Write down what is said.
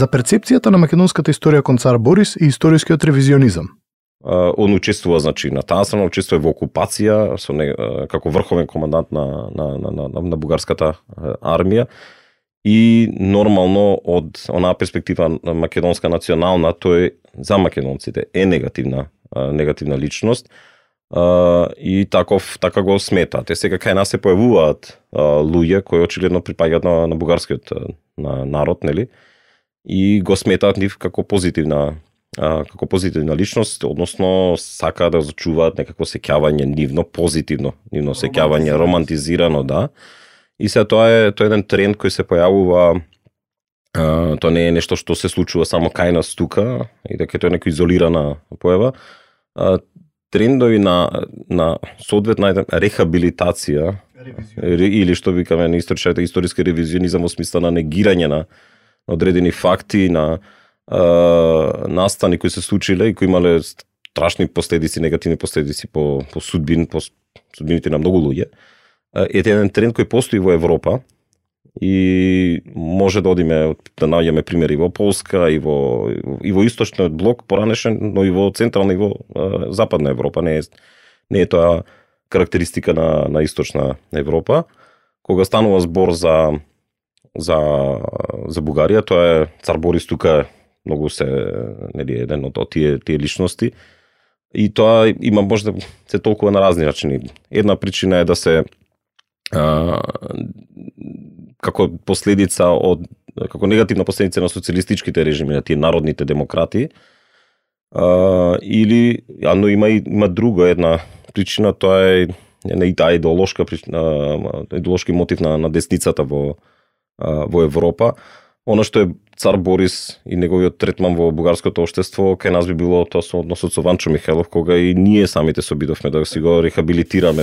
за перцепцијата на македонската историја кон цар Борис и историскиот ревизионизам. Он учествува, значи, на таа страна, учествува во окупација со како врховен командант на бугарската армија и нормално од онаа перспектива на македонска национална, тој за македонците е негативна личност и така го смета. Те сега кај нас се појавуваат луѓе кои очигледно припаѓаат на бугарскиот народ, нели? И го сметаат нив како позитивна личност, односно сака да зачуваат некако сеќавање нивно, позитивно нивно сеќавање, романтизирано, да. И се тоа е еден тренд кој се појавува, тоа не е нешто што се случува само кај нас тука, и дека тоа е некоја изолирана појава. Трендови на соодветна рехабилитација, или што викаме на историски ревизионизам во смисла на негирање на одредени факти, на настани кои се случиле и кои имале страшни последици, негативни последици по судбините на многу луѓе. Е еден тренд кој постои во Европа и може да одиме да наоѓаме примери во Полска и во источниот блок поранешен, но и во централна и во западна Европа. Не е тоа карактеристика на источна Европа. Кога станува збор за Бугарија, тоа е цар Борис тука многу нели еден од тие личности. И тоа има може да се толкува на разни начини. Една причина е да се како негативна последица на социјалистичките режими, на тие народните демократи, но има друга една причина, тоа е таа идеолошки мотив на десницата во Европа. Оно што е цар Борис и неговиот третман во бугарското општество, кај нас би било тоа со односот со Ванчо Михајлов, кога и ние самите се обидовме да си го рехабилитираме.